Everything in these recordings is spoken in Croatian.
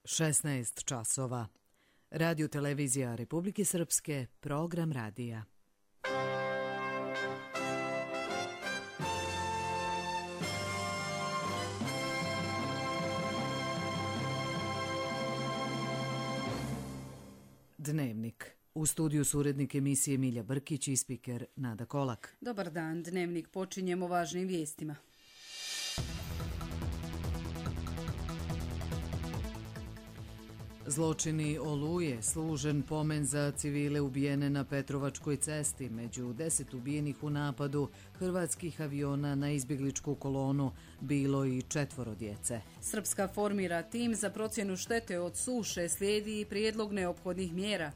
16 časova. Radio Televizija Republike Srpske, program radija. Dnevnik. U studiju su urednik emisije Milja Brkić i spiker Nada Kolak. Dobar dan, Dnevnik počinjemo važnim vijestima. Zločini Oluje, služen pomen za civile ubijene na Petrovačkoj cesti. Među 10 ubijenih u napadu hrvatskih aviona na izbjegličku kolonu bilo i 4 djece. Srpska formira tim za procjenu štete od suše, slijedi i prijedlog neophodnih mjera.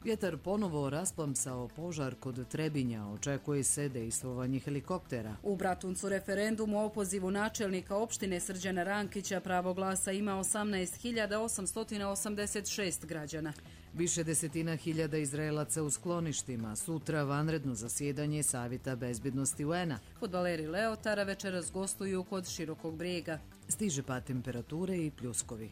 Vjetar ponovo rasplamsao požar kod Trebinja, očekuje se dejstvovanje helikoptera. U Bratuncu referendum o opozivu načelnika opštine Srđana Rankića pravo glasa ima 18.886 građana. Više desetina hiljada Izraelaca u skloništima, sutra vanredno zasjedanje Savjeta bezbjednosti UN-a. Fudbaleri Leotara večeras gostuju kod Širokog Brijega. Stiže pad temperature i pljuskovi.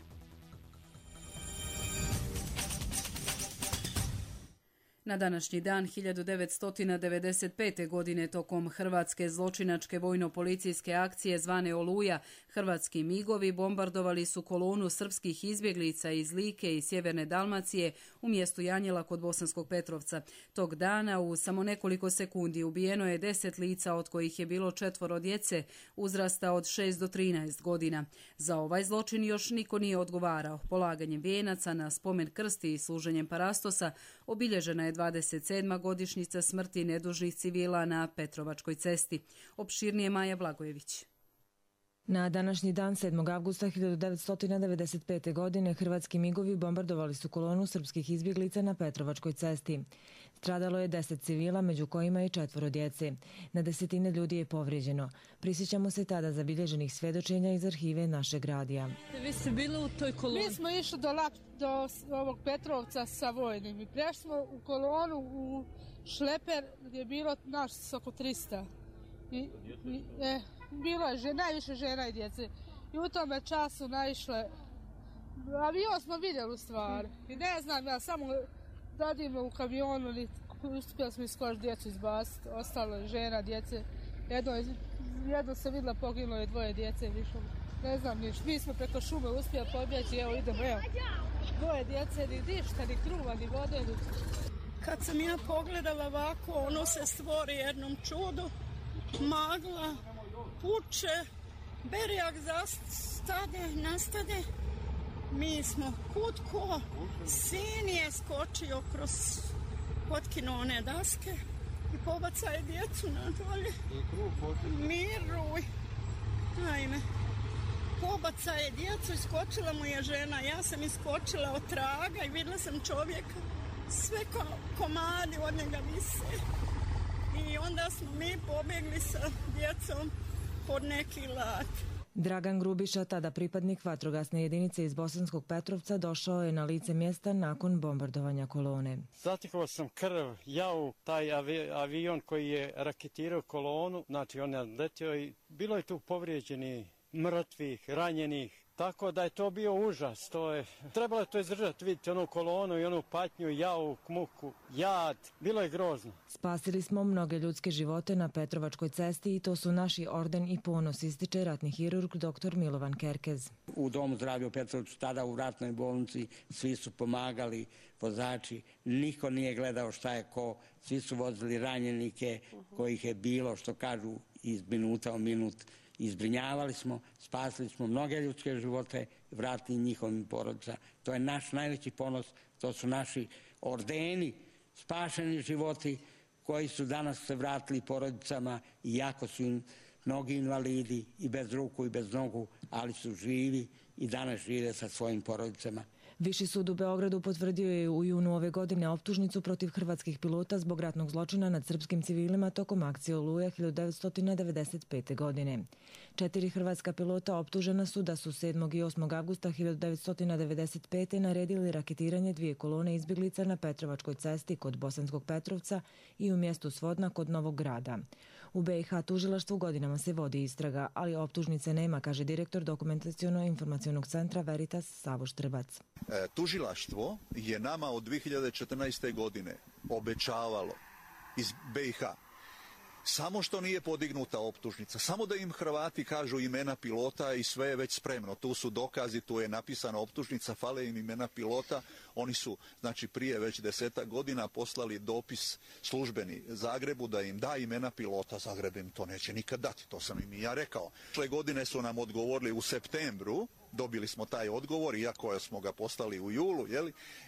Na današnji dan 1995. godine tokom hrvatske zločinačke vojno-policijske akcije zvane Oluja, hrvatski migovi bombardovali su kolonu srpskih izbjeglica iz Like i sjeverne Dalmacije u mjestu Janjela kod Bosanskog Petrovca. Tog dana u samo nekoliko sekundi ubijeno je 10 lica, od kojih je bilo 4 djece uzrasta od 6 do 13 godina. Za ovaj zločin još niko nije odgovarao. Polaganjem vijenaca na spomen krsti i služenjem parastosa obilježena je 27. godišnjica smrti nedužnih civila na Petrovačkoj cesti. Opširnije Maja Blagojević. Na današnji dan 7. avgusta 1995. godine hrvatski migovi bombardovali su kolonu srpskih izbjeglica na Petrovačkoj cesti. Stradalo je 10 civila, među kojima i 4 djece. Na desetine ljudi je povrijeđeno. Prisjećamo se tada zabilježenih svjedočenja iz arhive našeg radija. Vi ste bili u toj koloni? Mi smo išli do ovog Petrovca sa vojnim i prešli smo u kolonu u šleper gdje je bilo nas oko 300. Bilo je najviše žena i djece. I u tome času naišle, avion smo vidjeli u stvari. I ne znam, ja samo radimo u kamionu, uspjeli smo skoro djecu izbaciti. Ostalo je žena, djece. Jedno se vidjela, poginulo je 2 djece. Ne znam niš. Mi smo preko šume uspjeli pobjeći, evo idemo, evo. 2 djece, ni ništa, ni kruva, ni vode. Kad sam ja pogledala ovako, ono se stvori jednom čudu. Magla, puče, berijak nastade, mi smo kutko, sin je skočio kroz potkinuo one daske i pobacaje djecu na dolje. Miruj, ajme, pobacaje djecu, iskočila mu je žena, ja sam iskočila od traga i vidjela sam čovjeka, sve komadi od njega vise. I onda smo mi pobjegli sa djecom pod neki lat. Dragan Grubiša, tada pripadnik vatrogasne jedinice iz Bosanskog Petrovca, došao je na lice mjesta nakon bombardovanja kolone. Zatekao sam krv, jauk, taj avion koji je raketirao kolonu, znači on je letio i bilo je tu povrijeđenih, mrtvih, ranjenih. Tako da je to bio užas, trebalo je to izdržati, vidite, onu kolonu i onu patnju, jauk, muku, jad, bilo je grozno. Spasili smo mnoge ljudske živote na Petrovačkoj cesti i to su naši orden i ponos, ističe ratni hirurg dr. Milovan Kerkez. U domu zdravlja u Petrovcu, tada u ratnoj bolnici, svi su pomagali, vozači, niko nije gledao šta je ko, svi su vozili ranjenike kojih je bilo, što kažu, iz minuta u minut. Izbrinjavali smo, spasili smo mnoge ljudske živote, vratili njihovim porodicama. To je naš najveći ponos, to su naši ordeni, spašeni životi koji su danas se vratili porodicama, iako su im mnogi invalidi i bez ruku i bez nogu, ali su živi i danas žive sa svojim porodicama. Viši sud u Beogradu potvrdio je u junu ove godine optužnicu protiv hrvatskih pilota zbog ratnog zločina nad srpskim civilima tokom akcije Oluja 1995. godine. 4 hrvatska pilota optužena su da su 7. i 8. avgusta 1995. naredili raketiranje 2 kolone izbjeglica na Petrovačkoj cesti kod Bosanskog Petrovca i u mjestu Svodna kod Novog Grada. U BiH tužilaštvu godinama se vodi istraga, ali optužnice nema, kaže direktor Dokumentaciono-informacionog centra Veritas Savo Štrbac. Tužilaštvo je nama od 2014. godine obećavalo iz BiH samo što nije podignuta optužnica, samo da im Hrvati kažu imena pilota i sve je već spremno. Tu su dokazi, tu je napisana optužnica, fale im imena pilota. Oni su, znači, prije već 10 godina poslali dopis službeni Zagrebu da im da imena pilota. Zagreb im to neće nikad dati, to sam im i ja rekao. Prošle godine su nam odgovorili u septembru, dobili smo taj odgovor, iako smo ga poslali u julu,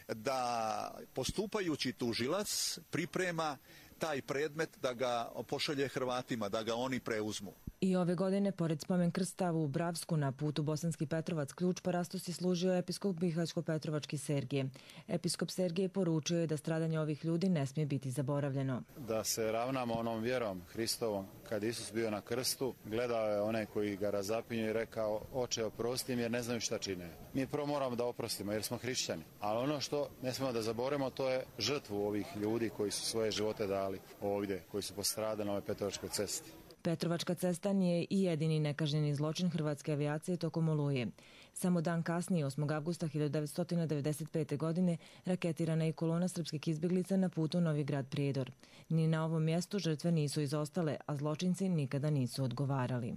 da postupajući tužilac priprema taj predmet da ga pošalje Hrvatima, da ga oni preuzmu. I ove godine, pored spomen krsta u Bravsku na putu Bosanski Petrovac Ključ, Parastos je služio episkop Bihaćko-Petrovački Sergije. Episkop Sergije poručio je da stradanje ovih ljudi ne smije biti zaboravljeno. Da se ravnamo onom vjerom Hristovom. Kad Isus bio na krstu, gledao je one koji ga razapinju i rekao: Oče, oprosti im jer ne znaju šta čine. Mi prvo moramo da oprostimo jer smo hrišćani. Ali ono što ne smijemo da zaboravimo, to je žrtvu ovih ljudi koji su svoje živote dali ovdje, koji su postradali na ovoj Petrovačkoj cesti. Petrovačka cesta nije i jedini nekažnjeni zločin hrvatske avijacije tokom Oluje. Samo dan kasnije, 8. avgusta 1995. godine, raketirana je kolona srpskih izbjeglica na putu Novi Grad Prijedor. Ni na ovom mjestu žrtve nisu izostale, a zločinci nikada nisu odgovarali.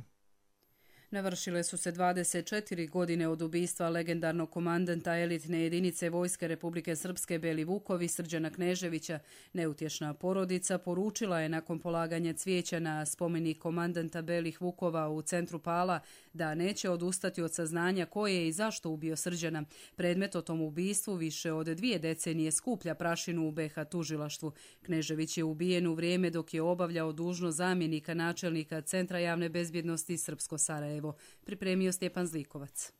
Navršile su se 24 godine od ubistva legendarnog komandanta elitne jedinice Vojske Republike Srpske Beli Vukovi Srđana Kneževića. Neutješna porodica poručila je nakon polaganja cvijeća na spomenik komandanta Belih Vukova u centru Pala da neće odustati od saznanja ko je i zašto ubio Srđana. Predmet o tom ubistvu više od 2 decenije skuplja prašinu u BiH tužilaštvu. Knežević je ubijen u vrijeme dok je obavljao dužnost zamjenika načelnika Centra javne bezbjednosti Srpsko Sarajevo. Pripremio Stjepan Zlikovac.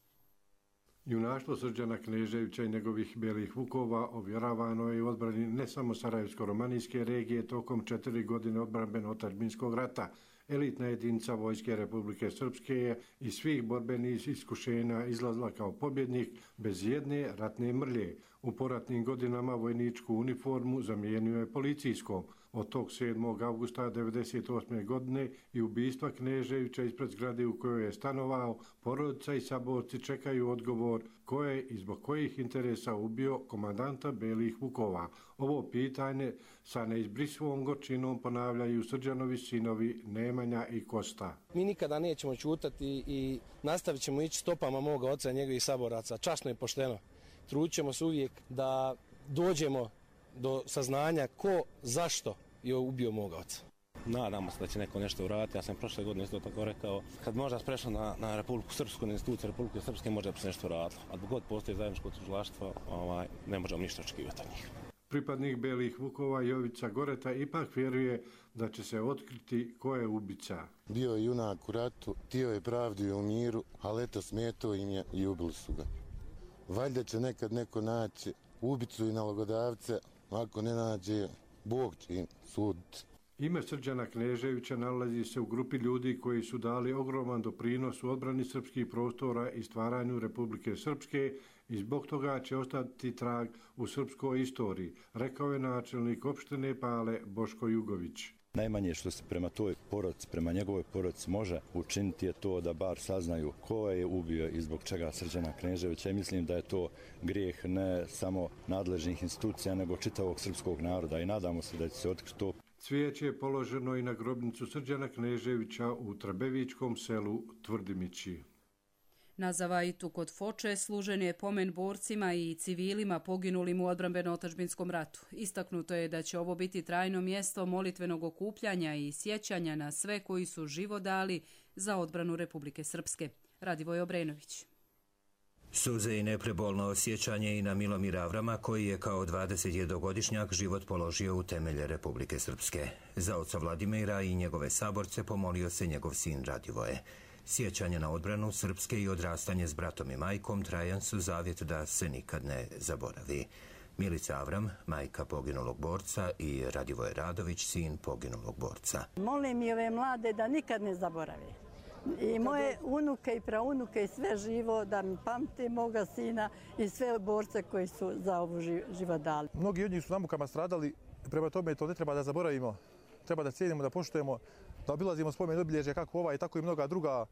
Junaštvo Srđana Kneževića i njegovih Belih Vukova ovjeravano je u odbrani ne samo Sarajevsko-romanijske regije tokom 4 godine odbrambeno-otadžbinskog rata. Elitna jedinica Vojske Republike Srpske je iz svih borbenih iskušenja izlazila kao pobjednik bez jedne ratne mrlje. U poratnim godinama vojničku uniformu zamijenio je policijskom. Od tog 7. avgusta 1998. godine i ubistva Kneževića ispred zgrade u kojoj je stanovao, porodica i saborci čekaju odgovor ko je i zbog kojih interesa ubio komandanta Belih Vukova. Ovo pitanje sa neizbrisivom gorčinom ponavljaju Srđanovi sinovi Nemanja i Kosta. Mi nikada nećemo ćutati i nastavit ćemo ići stopama moga oca i njegovih saboraca. Časno i pošteno. Trudit ćemo se uvijek da dođemo do saznanja ko, zašto je ubio moga oca. Nadamo se da će neko nešto uraditi. Ja sam prošle godine isto tako rekao, kad možda sprešao na Republiku Srpsku, na instituciju Republike Srpske, možda bi se nešto uradilo. A dok god postoji zajedničko tužilaštvo, ne možemo ništa očekivati od njih. Pripadnik Belih Vukova Jovica Goreta ipak vjeruje da će se otkriti ko je ubica. Bio je junak u ratu, htio je pravdu i u miru, ali eto smetao im je i ubili su ga. Valjda će nekad neko naći ubicu i nalogodavce, ako ne nađe, Bog će im suditi. Ime Srđana Kneževića nalazi se u grupi ljudi koji su dali ogroman doprinos u odbrani srpskih prostora i stvaranju Republike Srpske i zbog toga će ostati trag u srpskoj istoriji, rekao je načelnik opštine Pale Boško Jugović. Najmanje što se prema toj porodici, prema njegovoj porodici može učiniti je to da bar saznaju ko je ubio i zbog čega Srđana Kneževića. I mislim da je to grijeh ne samo nadležnih institucija, nego čitavog srpskog naroda i nadamo se da će se otkriti to. Cvijeće je položeno i na grobnicu Srđana Kneževića u Trbevičkom selu Tvrdimići. Na Zavajitu kod Foče služen je pomen borcima i civilima poginulim u odbrambeno-otadžbinskom ratu. Istaknuto je da će ovo biti trajno mjesto molitvenog okupljanja i sjećanja na sve koji su život dali za odbranu Republike Srpske. Radivoj Obrenović. Suze i neprebolno osjećanje i na Milomira Avrama, koji je kao 21-godišnjak život položio u temelje Republike Srpske. Za oca Vladimira i njegove saborce pomolio se njegov sin Radivoje. Sjećanje na odbranu Srpske i odrastanje s bratom i majkom trajan su zavjet da se nikad ne zaboravi. Milica Avram, majka poginulog borca, i Radivoje Radović, sin poginulog borca. Molim i ove mlade da nikad ne zaborave. I moje unuke i praunuke i sve živo da mi pamte moga sina i sve borce koji su za ovu život dali. Mnogi od njih su na mukama stradali, prema tome to ne treba da zaboravimo. Treba da cijenimo, da poštujemo, da obilazimo spomen obilježja kako ovaj, tako i mnoga druga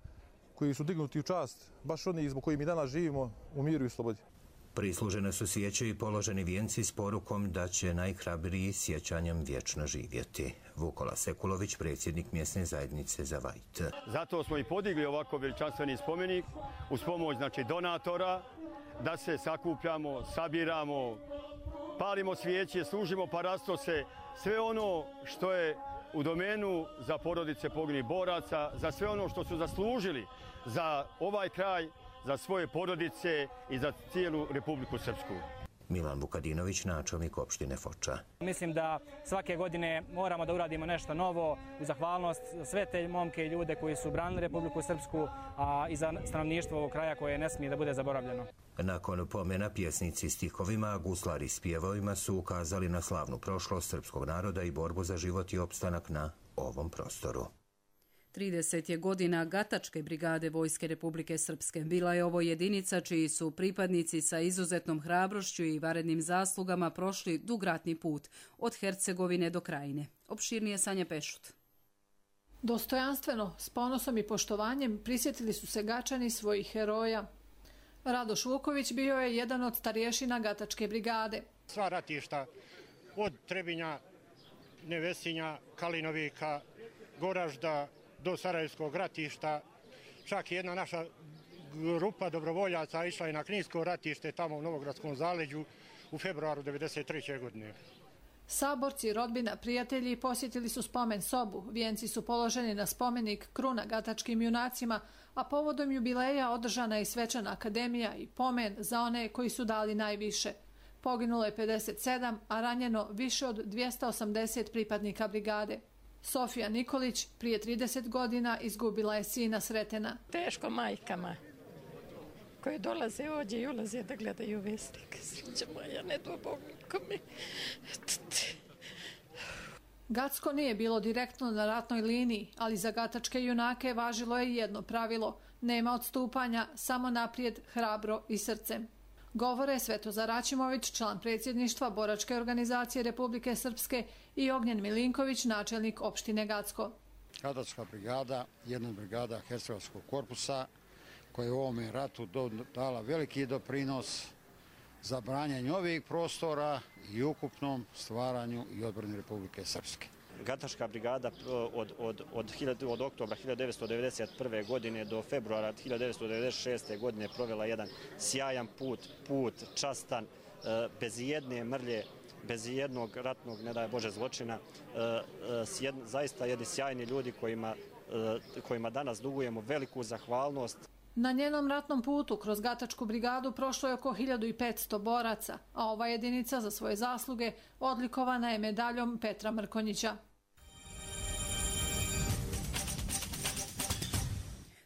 koji su dignuti u čast, baš oni zbog kojih mi danas živimo u miru i slobodi. Prislužene su svijeće i položeni vijenci s porukom da će najhrabriji sjećanjem vječno živjeti. Vukola Sekulović, predsjednik mjesne zajednice za Vajt. Zato smo i podigli ovako veličanstveni spomenik uz pomoć donatora, da se sakupljamo, sabiramo, palimo svijeće, služimo parastose, sve ono što je u domenu za porodice poginulih boraca, za sve ono što su zaslužili za ovaj kraj, za svoje porodice i za cijelu Republiku Srpsku. Milan Vukadinović, načelnik opštine Foča. Mislim da svake godine moramo da uradimo nešto novo u zahvalnost za sve te momke i ljude koji su branili Republiku Srpsku, a i za stanovništvo ovog kraja koje ne smije da bude zaboravljeno. Nakon pomena pjesnici stihovima, a guslari s pjevovima su ukazali na slavnu prošlost srpskog naroda i borbu za život i opstanak na ovom prostoru. 30 je godina Gatačke brigade Vojske Republike Srpske. Bila je ovo jedinica čiji su pripadnici sa izuzetnom hrabrošću i varednim zaslugama prošli dug ratni put od Hercegovine do Krajine. Opširnije Sanja Pešut. Dostojanstveno, s ponosom i poštovanjem prisjetili su se Gačani svojih heroja. Radoš Vuković bio je jedan od starješina Gatačke brigade. Sva ratišta od Trebinja, Nevesinja, Kalinovika, Goražda do Sarajevskog ratišta. Čak jedna naša grupa dobrovoljaca išla je na Kninsko ratište tamo u Novogradskom zaleđu u februaru 1993. godine. Saborci, rodbina, prijatelji posjetili su spomen sobu. Vijenci su položeni na spomenik kruna gatačkim junacima, a povodom jubileja održana je i svečana akademija i pomen za one koji su dali najviše. Poginulo je 57, a ranjeno više od 280 pripadnika brigade. Sofija Nikolić prije 30 godina izgubila je sina Sretena. Teško majkama koje dolaze ovdje i ulaze da gledaju vesnike. Sreća moja, ne do Bog nikome. Gacko nije bilo direktno na ratnoj liniji, ali za gatačke junake važilo je jedno pravilo. Nema odstupanja, samo naprijed, hrabro i srcem. Govore Svetozar Račimović, član predsjedništva Boračke organizacije Republike Srpske, i Ognjen Milinković, načelnik opštine Gacko. Gatačka brigada, jedna brigada Hercegovskog korpusa, koja je u ovome ratu dala veliki doprinos za branjenje ovih prostora i ukupnom stvaranju i odbrani Republike Srpske. Gatačka brigada od oktobra 1991. godine do februara 1996. godine provela jedan sjajan put častan, bez jedne mrlje, bez jednog ratnog, ne daj Bože, zločina. Zaista jedni sjajni ljudi kojima danas dugujemo veliku zahvalnost. Na njenom ratnom putu kroz Gatačku brigadu prošlo je oko 1500 boraca, a ova jedinica za svoje zasluge odlikovana je medaljom Petra Mrkonjića.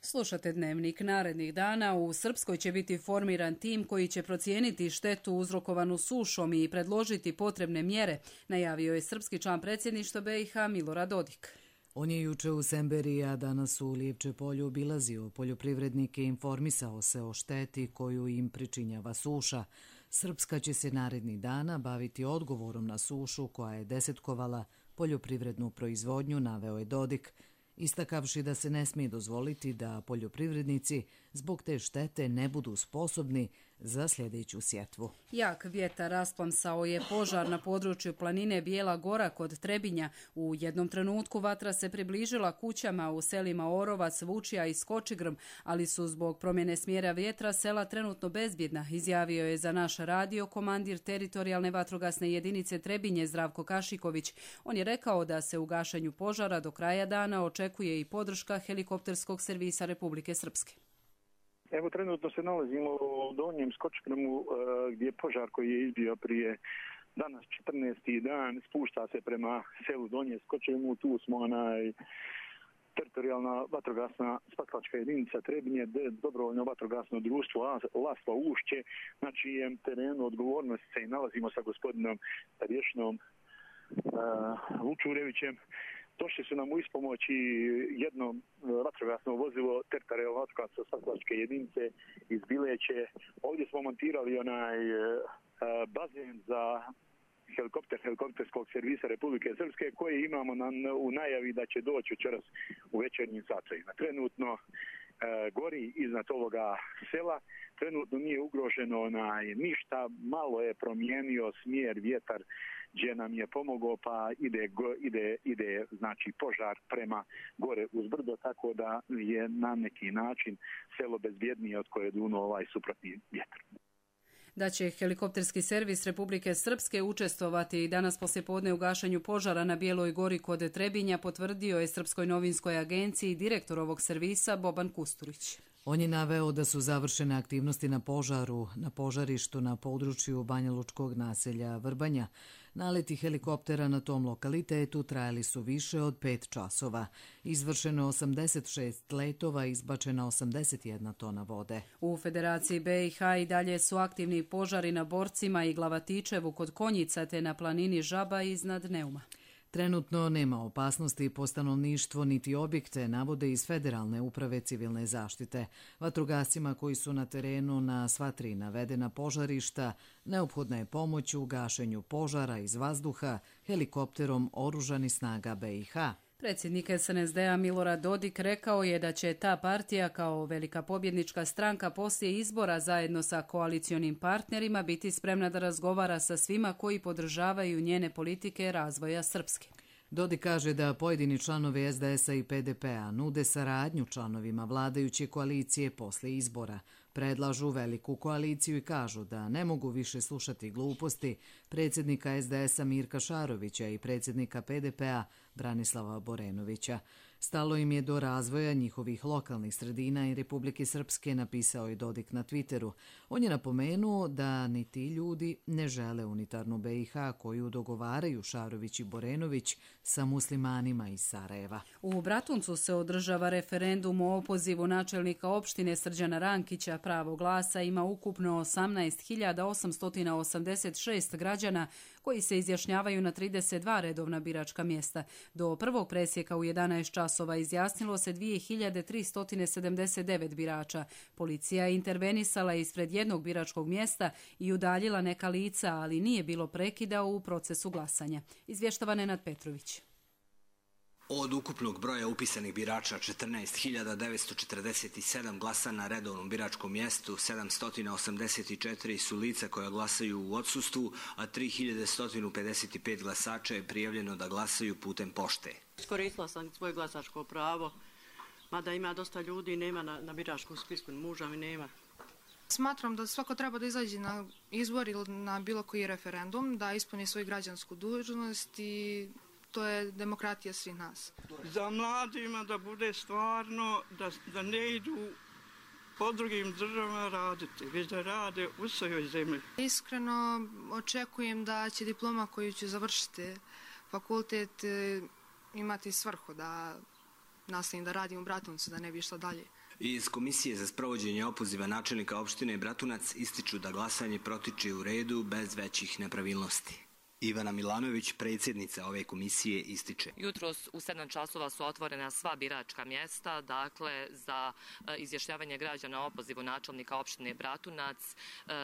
Slušate Dnevnik. Narednih dana u Srpskoj će biti formiran tim koji će procijeniti štetu uzrokovanu sušom i predložiti potrebne mjere, najavio je srpski član predsjedništva BiH Milorad Dodik. On je juče u Semberiji, a danas u Lijepče polju obilazio poljoprivrednike i informisao se o šteti koju im pričinjava suša. Srpska će se narednih dana baviti odgovorom na sušu koja je desetkovala poljoprivrednu proizvodnju, naveo je Dodik, istakavši da se ne smije dozvoliti da poljoprivrednici zbog te štete ne budu sposobni za sljedeću sjetvu. Jak vjetar rasplamsao je požar na području planine Bijela Gora kod Trebinja. U jednom trenutku vatra se približila kućama u selima Orovac, Vučija i Skočigrm, ali su zbog promjene smjera vjetra sela trenutno bezbjedna, izjavio je za naš radio komandir teritorijalne vatrogasne jedinice Trebinje Zdravko Kašiković. On je rekao da se u gašenju požara do kraja dana očekuje i podrška helikopterskog servisa Republike Srpske. Evo, trenutno se nalazimo u Donjem Skočigrmu gdje je požar koji je izbio prije danas 14. dan, spušta se prema selu Donje Skočigrmu. Tu smo teritorijalna vatrogasna spasilačka jedinica Trebinje, dobrovoljno vatrogasno društvo Lasva Ušće, na čijem terenu odgovornosti se i nalazimo sa gospodinom Rješinom Vučurevićem. Došli su nam u ispomoć i jedno vatrogasno vozilo Tertarel vatrogasno spasilačke jedinice iz Bileće. Ovdje smo montirali onaj bazen za helikopterskog servisa Republike Srpske koji imamo u najavi da će doći večeras u večernjim satovima. Trenutno gori iznad ovoga sela, trenutno nije ugroženo ništa, malo je promijenio smjer vjetar gdje nam je pomogao, pa ide znači požar prema gore uz brdo, tako da je na neki način selo bezbjednije od koje je dunuo ovaj suprotni vjetar. Da će helikopterski servis Republike Srpske učestvovati danas poslijepodne u gašenju požara na Bijeloj gori kod Trebinja, potvrdio je Srpskoj novinskoj agenciji direktor ovog servisa Boban Kusturić. On je naveo da su završene aktivnosti na požarištu na području banjalučkog naselja Vrbanja. Naleti helikoptera na tom lokalitetu trajali su više od 5 časova. Izvršeno 86 letova, izbačena 81 tona vode. U Federaciji BiH i dalje su aktivni požari na Borcima i Glavatičevu kod Konjica te na planini Žaba iznad Neuma. Trenutno nema opasnosti po stanovništvo niti objekte, navode iz Federalne uprave civilne zaštite. Vatrogascima koji su na terenu na sva 3 navedena požarišta neophodna je pomoć u gašenju požara iz vazduha helikopterom oružanih snaga BiH. Predsjednik SNSD-a Milorad Dodik rekao je da će ta partija kao velika pobjednička stranka poslije izbora zajedno sa koalicionim partnerima biti spremna da razgovara sa svima koji podržavaju njene politike razvoja Srpske. Dodik kaže da pojedini članovi SDS-a i PDP-a nude saradnju članovima vladajuće koalicije poslije izbora. Predlažu veliku koaliciju i kažu da ne mogu više slušati gluposti predsjednika SDS-a Mirka Šarovića i predsjednika PDP-a Branislava Borenovića. Stalo im je do razvoja njihovih lokalnih sredina i Republike Srpske, napisao je Dodik na Twitteru. On je napomenuo da ni ti ljudi ne žele unitarnu BiH koju dogovaraju Šarović i Borenović sa muslimanima iz Sarajeva. U Bratuncu se održava referendum o opozivu načelnika opštine Srđana Rankića. Pravo glasa ima ukupno 18.886 građana koji se izjašnjavaju na 32 redovna biračka mjesta. Do prvog presjeka u 11 časova izjasnilo se 2379 birača. Policija je intervenisala ispred jednog biračkog mjesta i udaljila neka lica, ali nije bilo prekida u procesu glasanja. Izvještava Nenad Petrović. Od ukupnog broja upisanih birača 14.947 glasa na redovnom biračkom mjestu, 784 su lica koja glasaju u odsustvu, a 3155 glasača je prijavljeno da glasaju putem pošte. Iskoristila sam svoje glasačko pravo, mada ima dosta ljudi, nema na biračkom spisku, muža mi nema. Smatram da svako treba da izađe na izbor ili na bilo koji referendum, da ispuni svoju građansku dužnost i to je demokratija svih nas. Za mladima da bude stvarno, da ne idu po drugim državama raditi, već da rade u svojoj zemlji. Iskreno očekujem da će diploma koju ću završiti fakultet imati svrhu da nastavim da radim u Bratuncu, da ne bi išla dalje. Iz Komisije za sprovođenje opoziva načelnika opštine Bratunac ističu da glasanje protiče u redu bez većih nepravilnosti. Ivana Milanović, predsjednica ove komisije, ističe. Jutros u 7 časova su otvorena sva biračka mjesta, dakle za izjašnjavanje građana o opozivu načelnika opštine Bratunac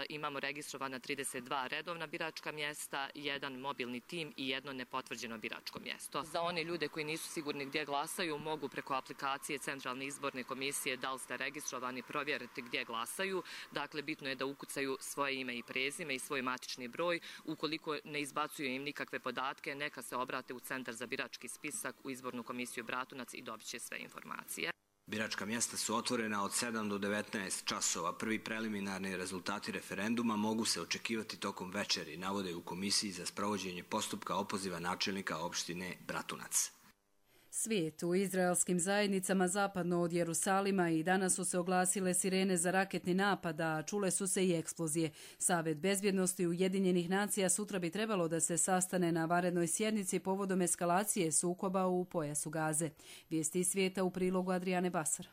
imamo registrovana 32 redovna biračka mjesta, 1 mobilni tim i 1 nepotvrđeno biračko mjesto. Za one ljude koji nisu sigurni gdje glasaju, mogu preko aplikacije Centralne izborne komisije da li ste registrovani provjeriti gdje glasaju. Dakle, bitno je da ukucaju svoje ime i prezime i svoj matični broj. Ukoliko ne izbacuju im nikakve podatke, neka se obrate u Centar za birački spisak u izbornu komisiju Bratunac i dobit će sve informacije. Biračka mjesta su otvorena od 7 do 19 časova. Prvi preliminarni rezultati referenduma mogu se očekivati tokom večeri, navode u Komisiji za sprovođenje postupka opoziva načelnika opštine Bratunac. Svijet u izraelskim zajednicama zapadno od Jerusalima i danas su se oglasile sirene za raketni napad, a čule su se i eksplozije. Savet bezbjednosti Ujedinjenih nacija sutra bi trebalo da se sastane na vanrednoj sjednici povodom eskalacije sukoba u pojasu Gaze. Vijesti iz svijeta u prilogu Adriane Basar.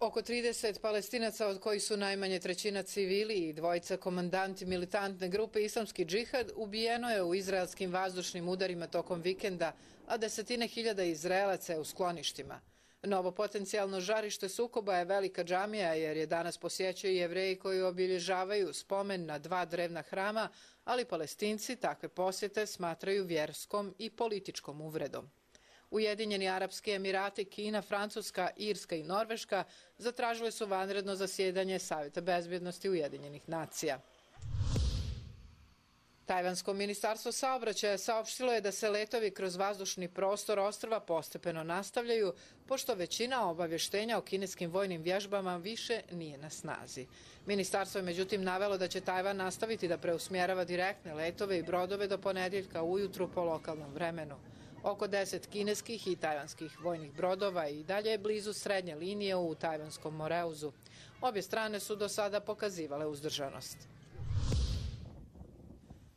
Oko 30 Palestinaca, od kojih su najmanje trećina civili i dvojica komandanti militantne grupe Islamski džihad, ubijeno je u izraelskim vazdušnim udarima tokom vikenda, a desetine hiljada Izraelaca je u skloništima. Novo potencijalno žarište sukoba je velika džamija, jer je danas posjećuju Jevreji koji obilježavaju spomen na 2 drevna hrama, ali Palestinci takve posjete smatraju vjerskom i političkom uvredom. Ujedinjeni Arapski Emirati, Kina, Francuska, Irska i Norveška zatražili su vanredno zasjedanje Savjeta bezbjednosti Ujedinjenih nacija. Tajvansko ministarstvo saobraćaja saopštilo je da se letovi kroz vazdušni prostor ostrva postepeno nastavljaju, pošto većina obavještenja o kineskim vojnim vježbama više nije na snazi. Ministarstvo je međutim navelo da će Tajvan nastaviti da preusmjerava direktne letove i brodove do ponedjeljka ujutru po lokalnom vremenu. Oko 10 kineskih i tajvanskih vojnih brodova i dalje je blizu srednje linije u Tajvanskom Moreuzu. Obje strane su do sada pokazivale uzdržanost.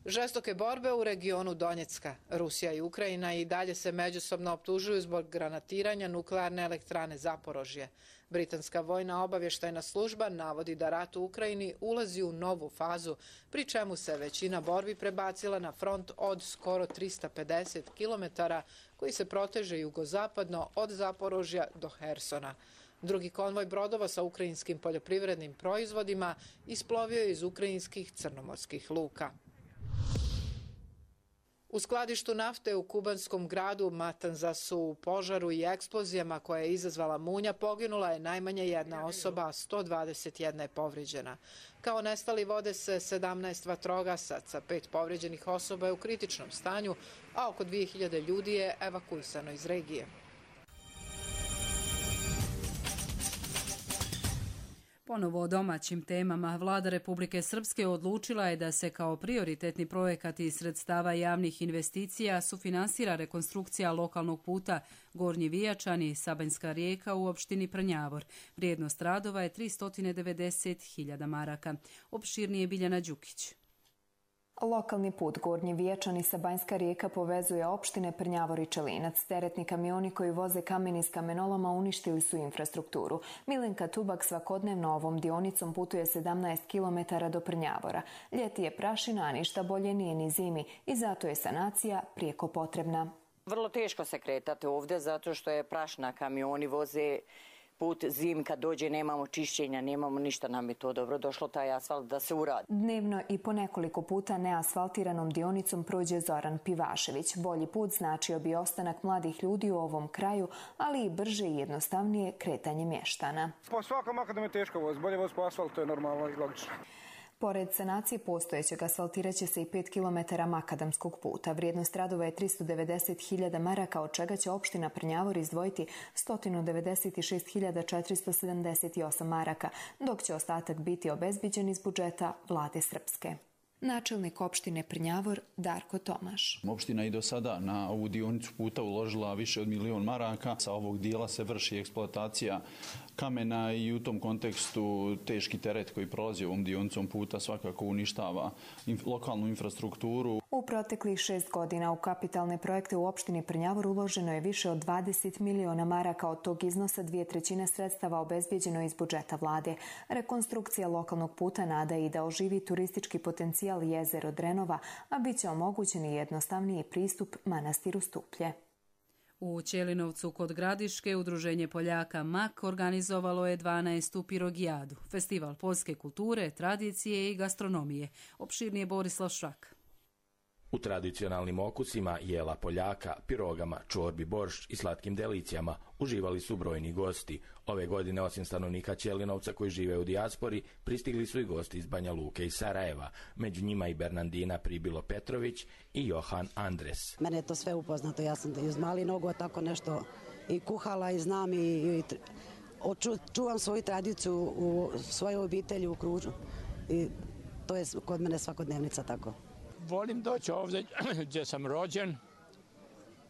Žestoke borbe u regionu Donjecka. Rusija i Ukrajina i dalje se međusobno optužuju zbog granatiranja nuklearne elektrane Zaporožje. Britanska vojna obavještajna služba navodi da rat u Ukrajini ulazi u novu fazu, pri čemu se većina borbi prebacila na front od skoro 350 km koji se proteže jugozapadno od Zaporožja do Hersona. Drugi konvoj brodova sa ukrajinskim poljoprivrednim proizvodima isplovio je iz ukrajinskih crnomorskih luka. U skladištu nafte u kubanskom gradu Matanzasu u požaru i eksplozijama koje je izazvala munja poginula je najmanje jedna osoba, a 121 je povrijeđena. Kao nestali vode se 17 vatrogasaca, 5 povrijeđenih osoba je u kritičnom stanju, a oko 2000 ljudi je evakuisano iz regije. Ponovo o domaćim temama. Vlada Republike Srpske odlučila je da se kao prioritetni projekat iz sredstava javnih investicija sufinansira rekonstrukcija lokalnog puta Gornji Vijačani, Sabanjska Rijeka u opštini Prnjavor. Vrijednost radova je 390.000 maraka. Opširnije Biljana Đukić. Lokalni put Gornji Vijačani Sabanjska Rijeka povezuje opštine Prnjavor i Čelinac. Teretni kamioni koji voze kamen iz kamenoloma uništili su infrastrukturu. Milenka Tubak svakodnevno ovom dionicom putuje 17 km do Prnjavora. Ljeti je prašina, a ništa bolje nije ni zimi i zato je sanacija prijeko potrebna. Vrlo teško se kretati ovdje zato što je prašina, kamioni voze put, zim kad dođe nemamo čišćenja, nemamo ništa, nam je to dobro došlo taj asfalt da se uradi. Dnevno i po nekoliko puta neasfaltiranom dionicom prođe Zoran Pivašević. Bolji put značio bi ostanak mladih ljudi u ovom kraju, ali i brže i jednostavnije kretanje mještana. Po svakom makadom je teško voz, bolje voz po asfaltu, to je normalno i logično. Pored sanacije postojećeg asfaltirat će se i 5 km makadamskog puta. Vrijednost radova je 390.000 maraka, od čega će opština Prnjavor izdvojiti 196.478 maraka, dok će ostatak biti obezbiđen iz budžeta Vlade Srpske. Načelnik opštine Prnjavor Darko Tomaš. Opština i do sada na ovu dionicu puta uložila više od 1.000.000 maraka. Sa ovog dijela se vrši eksploatacija kamena i u tom kontekstu teški teret koji prolazi ovom dionicom puta svakako uništava lokalnu infrastrukturu. U proteklih 6 godina u kapitalne projekte u opštini Prnjavor uloženo je više od 20 miliona maraka. Od tog iznosa 2/3 sredstava obezbijeđeno iz budžeta vlade. Rekonstrukcija lokalnog puta nada i da oživi turistički potencijal jezero Drenova, a bit će omogućen i jednostavniji pristup manastiru Stuplje. U Ćelinovcu kod Gradiške Udruženje Poljaka MAK organizovalo je 12. pirogijadu, festival poljske kulture, tradicije i gastronomije. Opširnije Borislav Šrak. U tradicionalnim okusima jela Poljaka, pirogama, čorbi, boršč i slatkim delicijama uživali su brojni gosti. Ove godine, osim stanovnika Ćelinovca koji žive u dijaspori, pristigli su i gosti iz Banja Luke i Sarajeva. Među njima i Bernardina Pribilo Petrović i Johan Andres. Mene je to sve upoznato. Ja sam iz mali nogu tako nešto i kuhala i znam i čuvam svoju tradiciju u svojoj obitelji u Kružu. I to je kod mene svakodnevnica tako. Volim doći ovdje gdje sam rođen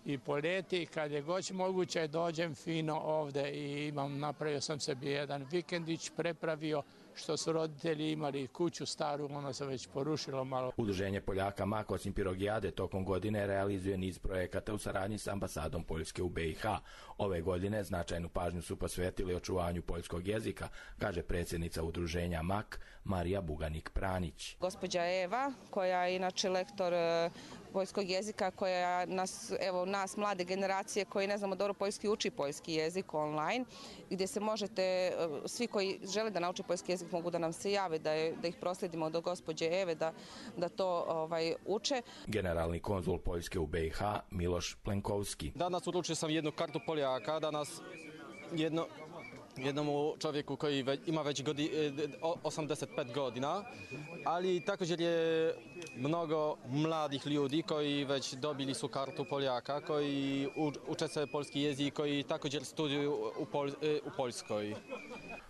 i po ljeti kad je god moguće dođem fino ovdje i napravio sam sebi jedan vikendić, prepravio što su roditelji imali kuću staru, ono se već porušilo malo. Udruženje Poljaka MAK osim Pirogijade tokom godine realizuje niz projekata u saradnji s ambasadom Poljske u BiH. Ove godine značajnu pažnju su posvetili očuvanju poljskog jezika, kaže predsjednica udruženja MAK Marija Buganik-Pranić. Gospođa Eva, koja je inače lektor poljskog jezika, koja nas mlade generacije koji ne znamo dobro poljski, uči poljski jezik online, gdje se možete, svi koji žele da nauče poljski jezik mogu da nam se jave, da ih proslijedimo do gospođe Eve, da to uče. Generalni konzul Poljske u BiH Miloš Plenkovski. Danas uručio sam jednu kartu Poljaka, danas jednom čovjeku koji ima već 85 godina, ali također je mnogo mladih ljudi koji već dobili su kartu Poljaka, koji uče se polski jezik, koji također studuju u Poljskoj.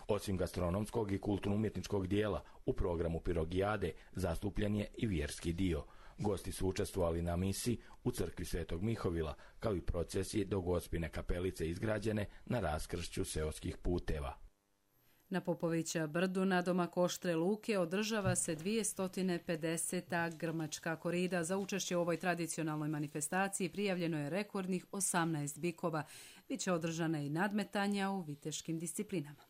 Osim gastronomskog i kulturno-umjetničkog dijela, u programu Pirogijade zastupljen je i vjerski dio. Gosti su učestvovali na misi u crkvi Svetog Mihovila, kao i procesiji do Gospine kapelice izgrađene na raskršću seoskih puteva. Na Popovića brdu na domak Oštre Luke održava se 250. grmačka korida. Za učešće u ovoj tradicionalnoj manifestaciji prijavljeno je rekordnih 18 bikova. Biće održana i nadmetanja u viteškim disciplinama.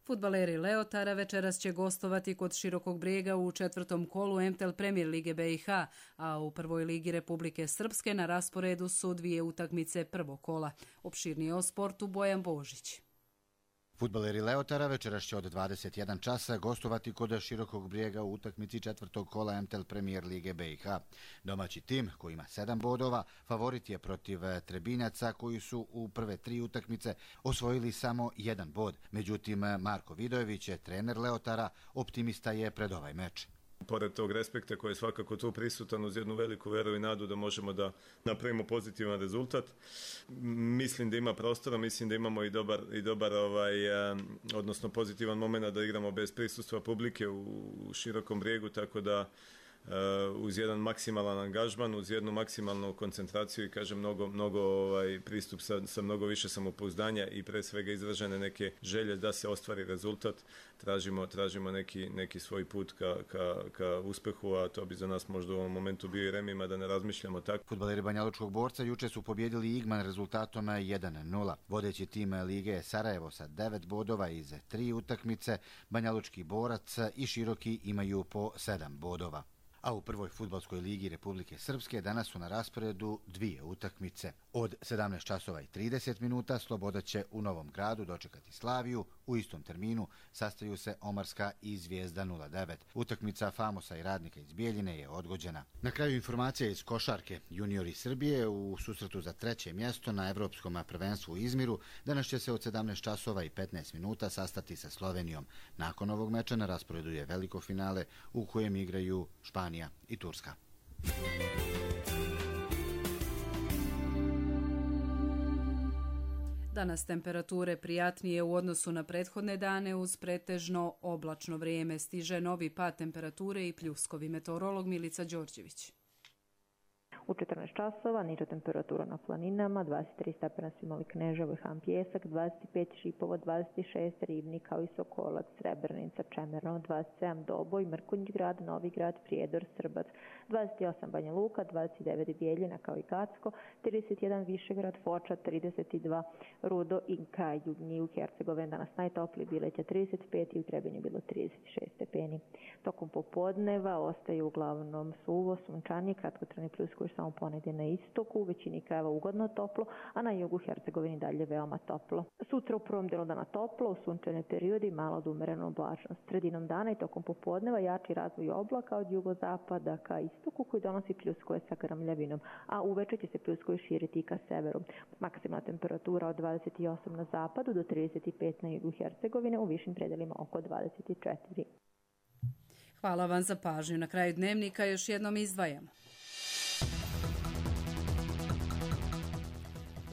Fudbaleri Leotara večeras će gostovati kod Širokog Brijega u 4. kolu MTL Premier Lige BiH, a u 1. ligi Republike Srpske na rasporedu su 2 utakmice prvog kola. Opširnije o sportu Bojan Božić. Fudbaleri Leotara večeras će od 21 časa gostovati kod Širokog Brijega u utakmici 4. kola MTL Premier Lige BiH. Domaći tim, koji ima 7 bodova, favorit je protiv Trebinjaca, koji su u prve 3 utakmice osvojili samo 1 bod. Međutim, Marko Vidojević, trener Leotara, optimista je pred ovaj meč. Pored tog respekta koji je svakako tu prisutan, uz jednu veliku veru i nadu da možemo da napravimo pozitivan rezultat. Mislim da ima prostora, mislim da imamo i dobar odnosno pozitivan moment da igramo bez prisustva publike u Širokom Brijegu, tako da uz jedan maksimalan angažman, uz jednu maksimalnu koncentraciju i kažem mnogo pristup sa mnogo više samopouzdanja i pre svega izražene neke želje da se ostvari rezultat. Tražimo neki svoj put ka uspehu, a to bi za nas možda u ovom momentu bio i remima da ne razmišljamo tako. Fudbaleri Banjalučkog Borca juče su pobjedili Igman rezultatom 1-0. Vodeći tim lige je Sarajevo sa 9 bodova iz 3 utakmice, Banjalučki Borac i Široki imaju po 7 bodova. A u prvoj fudbalskoj ligi Republike Srpske danas su na rasporedu 2 utakmice. Od 17:30 Sloboda će u Novom Gradu dočekati Slaviju. U istom terminu sastaju se Omarska i Zvijezda 09. Utakmica Famosa i Radnika iz Bijeljine je odgođena. Na kraju informacija iz košarke. Juniori Srbije u susretu za 3. mjesto na Evropskom prvenstvu u Izmiru danas će se od 17:15 sastati sa Slovenijom. Nakon ovog meča na rasporedu je veliko finale u kojem igraju Španija i Turska. Danas temperature prijatnije u odnosu na prethodne dane uz pretežno oblačno vrijeme. Stiže novi pad temperature i pljuskovi. Meteorolog Milica Đorđević. U 14 časova niža temperatura na planinama, 23 stepena su imali Kneževo i Han Pjesak, 25 Šipovo, 26 Ribnik, kao i Sokolac, Srebrenica, Čemerno, 27 Doboj, Mrkonjić grad, Novi grad, Prijedor, Srbac, 28 Banja Luka, 29 Bijeljina, kao i Gacko, 31 Višegrad, Foča, 32 Rudo i Južnji u Hercegovini. Danas najtoplije Bileća 35 i u Trebinju bilo 36 stepeni. Tokom popodneva ostaje uglavnom suvo, sunčanje, kratkotrajni pljuskovi samo ponegdje na istoku, u većini krajeva ugodno toplo, a na jugu Hercegovini dalje veoma toplo. Sutra u prvom delu dana toplo, u sunčane periodi malo od umerenu oblačnost. Sredinom dana i tokom popodneva jači razvoj oblaka od jugozapada ka istoku koji donosi pljuskove sa grmljavinom, a uveče će se pljuskovi širiti i ka severu. Maksimalna temperatura od 28 na zapadu do 35 na jugu Hercegovine, u višim predelima oko 24. Hvala vam za pažnju. Na kraju dnevnika još jednom izdvajamo.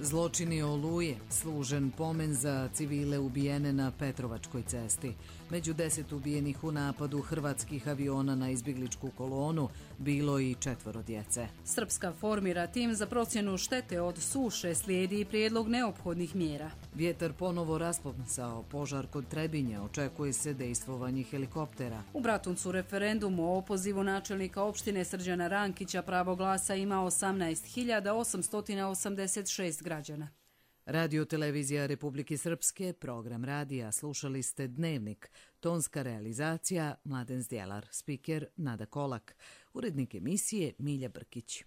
Zločini Oluje, služen pomen za civile ubijene na Petrovačkoj cesti. Među 10 ubijenih u napadu hrvatskih aviona na izbjegličku kolonu bilo i 4 djece. Srpska formira tim za procjenu štete od suše, slijedi i prijedlog neophodnih mjera. Vjetar ponovo raspomsao požar kod Trebinja, očekuje se dejstvovanje helikoptera. U Bratuncu referendum o opozivu načelnika opštine Srđana Rankića pravo glasa ima 18.886 građana. Radio televizija Republike Srpske, program radija, slušali ste Dnevnik, tonska realizacija Mladen Zdjelar, spiker Nada Kolak, urednik emisije Milja Brkić.